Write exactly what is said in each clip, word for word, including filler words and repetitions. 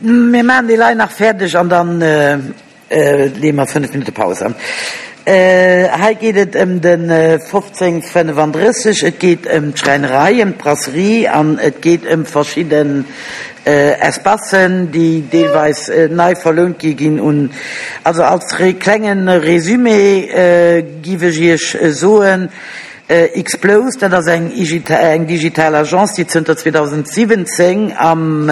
Mir maachen déi Lei nach fäerdeg an dann leeë mer fënnef Minutte Paus an. Hei geet et ëm de fofzéng fënnefandrësseg, et geet ëm d'Schräinerei, ëm d'Brasserie an et geet ëm verschidden Espacen, déi deelweis nei verlount gi ginn un. Also als klenge Résumé giff ech Iech soen, Xplose, dat ass eng digital Agence, déi zënter zweedausendsiwwenzéng am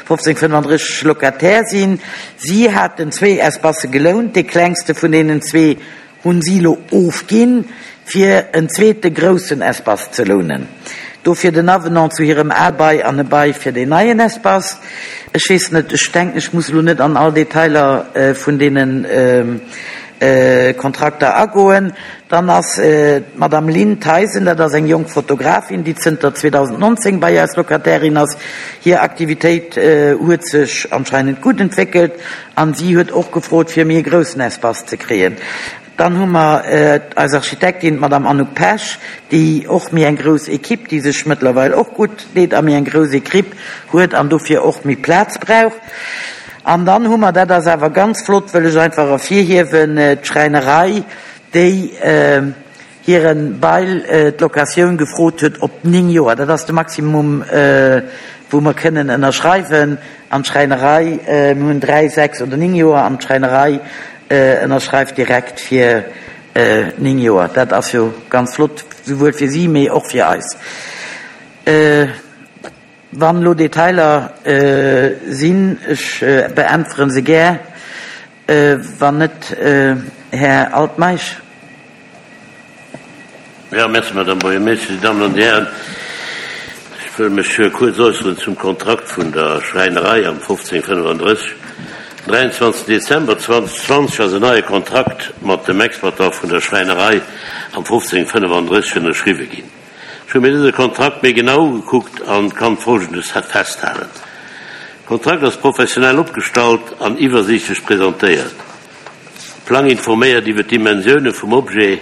fofzéng fënnefandrësseg Locataire sinn. Si haten zwee Espacë gelount, dee klengste vun deenen zwee hunn si elo ofginn, fir en zweete groussen Espace ze lounen. Dofir den Avenant zu hirem ale Bail an e Bail fir deen neien Espace. Ech weess net, ech denken, ech muss elo net an all Detailer vun deenen Kontrakter agoen. Dann ass d'Madame Lynn Theisen, dat ass eng jonk Fotografin, déi zënter zweedausendnonzéng bei eis Locatairin ass. Hir Aktivitéit huet sech anscheinend gutt entwéckelt an si huet och gefrot, fir méi e groussen Espace ze kréien. Dann hu mer eis Architektin, d'Madame Anouk Pesch, déi och méi eng grouss Equipe, déi sech mëttlerweil och gutt deet a méi eng grouss Equipe huet an dofir och méi Plaz brauch. An dann hu mer, dat ass awer ganz flott, wëll ech einfach ervirhiewen, d'Schräinerei, déi hire Bail, d'Locatioun gefrot huet op néng Joer. Dat ass de Maximum, wou mer kënnen ënnerschreiwen. An d'Schräinerei, mir hunn dräi, sechs oder néng Joer, an d'Schräinerei ënnerschreift direkt fir néng Joer. Dat ass jo ganz flott, souwuel fir si, mee och fir eis. Wann elo Detailer sinn, ech beäntweren se gär. Wann net, Här Altmeisch. Jo, merci, Madame Buergermeeschtesch, Dir Dammen an Dir Hären. Ech wëll mech kuerz äusseren zum Kontrakt vun der Schräinerei am fofzéng fënnefandrësseg. Den dräianzwanzegsten Dezember zweedausendzwanzeg ass en neie Kontrakt mat dem Exploitant vun der Schräinerei am fofzéng fënnefandrësseg ënnerschriwwe ginn. Ech hu mir dëse Kontrakt méi genau ugekuckt an kann Folgendes festhalen. De Kontrakt ass professionell opgestallt an iwwersiichtlech presentéiert. De Plang informéiert iwwer d'Dimensioune vum Objet,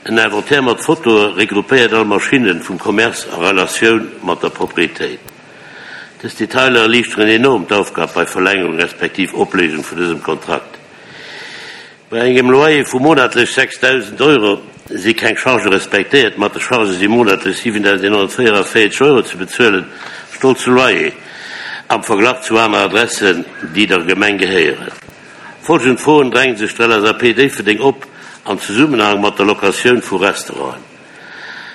en Inventaire mat Fotoe regroupéiert all Maschinne vum Commerce a Relatioun mat der Proprietéit. Dës Detailer erliichteren enorm d'Aufgab bei Verlängerung respektiv Opléisung vun dësem Kontrakt. Bei engem Loyer vu monatlech sechsdausend Euro si keng Chargë respektéiert. Mat de Chargë si monatlech siwendausendeenhonnertvéierunvéierzeg Euro ze bezuelen, stolze Loyer am Verglach zu aner Adressen, déi der Gemeng gehéieren. Folgend Froen drängen sech der L S A P Déifferdeng op am Zesummenhang mat der Locatioun vu Restauranten.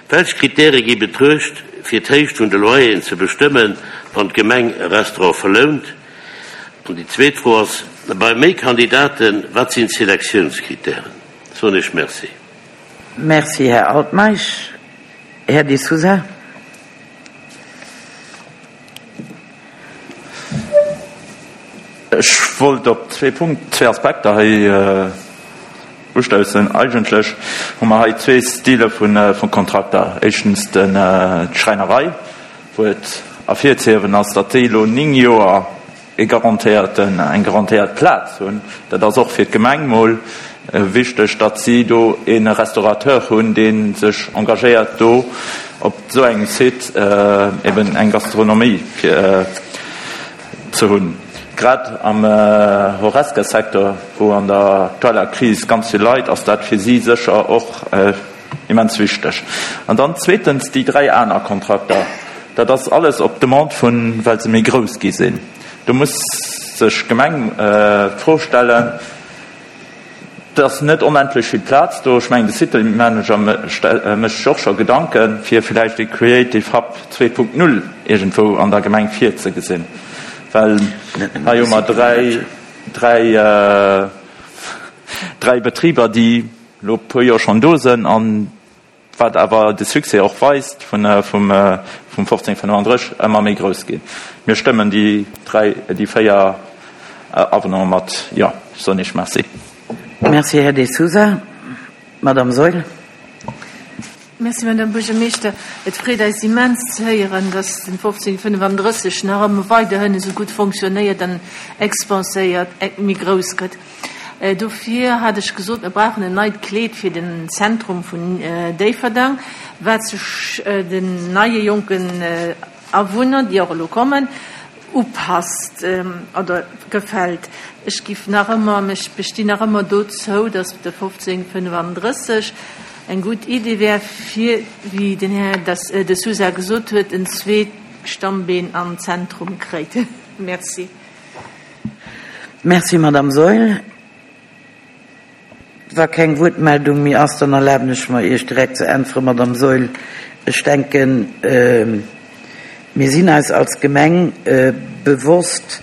Welch Kritäre gi betruecht, fir d'Héicht vun de Loyeren ze bestëmmen, wann d'Gemeng e Restaurant verlount? An déi zweet Fro ass, bei méi Kandidaten, wat sinn d'Selektiounskritären? Soen ech Merci. Merci, Här Altmeisch. Här De Sousa. Ech wollt op zwee Punkt, zwee Aspekter hei ustoussen. Eigentlech hu mer hei zwee Stile vu Kontrakter. Éischtens d'Schräinerei, wou et ervirzehiewen ass, datt déi elo néng Joer e garantéierten, eng garantéiert Plaz hunn. Dat ass och fir d'Gemeng mol wichteg, datt si do e Restaurateur hunn, dee sech engagéiert, do op esou engem Site eben eng Gastronomie fir ze hunn. Grad am Horesca-Secteur, wou an der aktueller Kris ganz vill leit, ass dat fir si sécher och immens wichteg. An dann zweetens déi dräi aner Kontrakter, dat ass alles op Demande vun, well se méi grouss gi sinn. Do muss sech d'Gemeng d'Fro stellen, et ass net onendlech vill Plaz do. Ech mengen, de City Manager mécht sech och scho Gedanken, fir vläicht e Creative Hub zwee Punkt null iergendwou an der Gemeng virzegesinn, well hei hu mer dräi, dräi, dräi Betriber, déi elo e puer Joer schonn do sinn an wat awer de Succès och weist vun, vum, vum fofzéng fënnefandrësseg ëmmer méi grouss ginn. Mir stëmmen déi dräi, déi véier Avenante mat Jo. Ech soen Iech Merci. Merci, Här De Sousa. Madame Saeul. Merci, Madame Buergermeeschter. Et freet eis immens ze héieren, dass den fofzéng fënnefandrësseg nach ëmmer weiderhin esou gutt fonctionnéiert an expanséiert, méi grouss gëtt. Dofir hat ech gesot, mir brauchen en neit Kleed fir den Zentrum vun Déifferdeng, wat sech den neie jonken Awunner, déi och elo kommen, upasst oder gefält. Ech giff nach ëmmer, ech bestinn nach ëmmer dozou, dass de fofzéng fënnefandrësseg eng gutt Idee wär, fir, wéi den Här De Sousa gesot huet, en zweet Stammbeen am Zentrum kréit. Merci. Merci, Madame Saeul. Wa keng Wuertmeldung méi ass, dann erlaben ech mer, Iech direkt ze äntweren, Madame Saeul. Ech denken, mir sinn eis als Gemeng bewosst,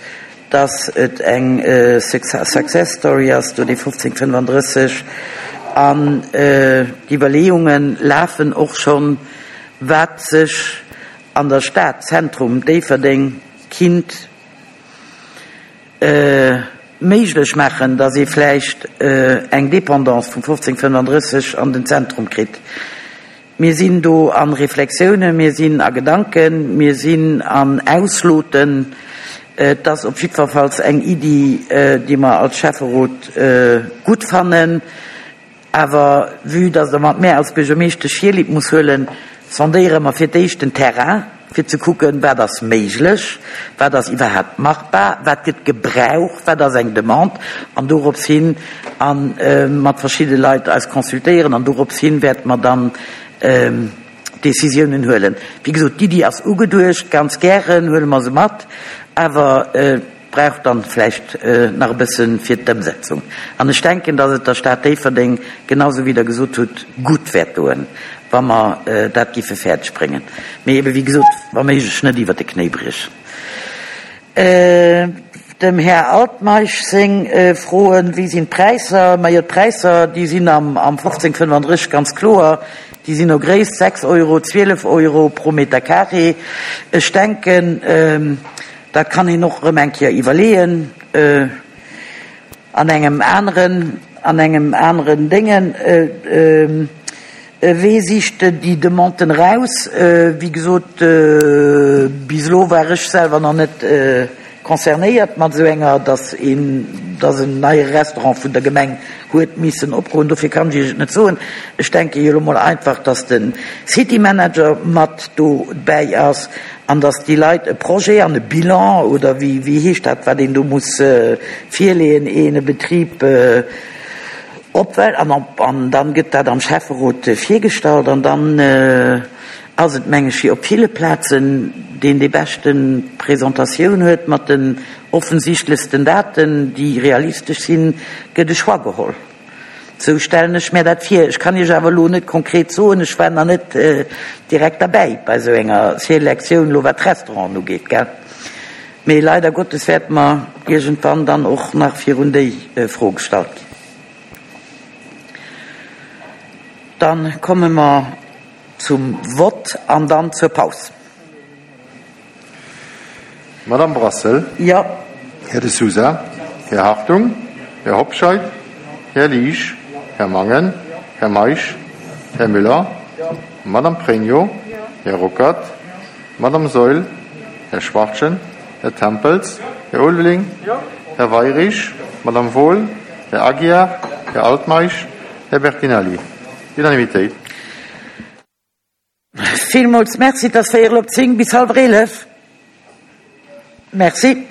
dass et eng Success Story ass, do dee fofzéng fënnefandrësseg, an d'Iwwerleeunge lafen och schonn, wat sech an der Stad, Zentrum Déifferdeng, kinnt méiglech maachen, dass ee vläicht eng Dépendance vum fofzéng fënnefandrësseg an den Zentrum kritt. Mir sinn do a Reflexiounen, mir sinn a Gedanken, mir sinn an Ausloten. Et ass op jiddwerfalls eng Iddi, déi mer als Schäfferot gutt fannen. Awer vue dass Der mat mär als Buergermeeschtesch Virlieb muss huelen, sondéiere mer fir d'éischt den Terrain, fir ze kucken, wat ass méiglech, wat ass iwwerhaapt machbar, wat gëtt gebraucht, wat ass eng Demande, an dorops hin a mat verschidde Leit eis consultéieren, an dorops hin wäerte mer dann Décisiounen huelen. Wéi gesot, d'Iddi ass ugeduecht, ganz gären huele mer se mat, awer et brauch dann vläicht nach e bësse fir d'Ëmsetzung. An ech denken, dass et der Stad Déifferdeng, genau esou wéi Der gesot hutt, gutt wäert doen, wa mer dat giffe fäerdeg bréngen. Mee ebe wéi gesot, wa méiglech net iwwert de Knéi briechen. Dem Här Altmeisch seng Froen, Wéi sinn d'Präisser? Majo, d'Präisser, déi sinn am fofzéng fënnefandrësseg ganz kloer. Déi sinn no Gréisst, sechs Euro, zwielef Euro pro Meter carré. Ech denken, dat kann een och erëm eng Kéier iwwerleeën an engem aneren, an engem aneren Déngen. Wee sicht déi Demanden eraus? Wéi gesot, bis elo war ech selwer nach net concernéiert mat esou enger, dass een, dass en neie Restaurant vun der Gemeng huet missen opgoen. Dofir kann ech Iech et net soen. Ech denke jo elo mol einfach, dass de City Manager mat dobäi ass an dass déi Leit e Projet an e Bilan, oder wéi, wéi heescht dat, wat een do muss virleeën, een e Betrib opwell, an op, an dann gëtt dat am Schäfferot virgestallt an dann ass et, meng ech, wéi op ville Plazen, deen déi beschte Presentatioun huet mat den offensichtlechsten Daten, déi realistesch sinn, gëtt e Choix geholl. Sou stellen ech mär dat vir. Ech kann Iech awer elo net konkret soen, ech war nach net direkt derbäi bei esou enger Selektioun, elo wat d'Restauranten ugeet, gell. Mee leider Gottes wäerte mer iergendwann dann och nach virun déi Fro gestallt ginn. Dann komme mer zum Vott an dann zur Paus. Madame Brassel. Jo. Här De Sousa. Här Hartung. Här Hobscheit. Här Liesch. Här Mangen. Här Meisch. Här Müller. Madame Pregno. Här Ruckert. Madame Saeul. Här Schwachtgen. Här Tempels. Här Ulveling. Här Weirich. Madame Wohl. Här Aguiar. Här Altmeisch. Här Bertinelli. Unanimitéit. Villmools Merci. Et ass véierel op zéng, bis hallwer eelef. Merci.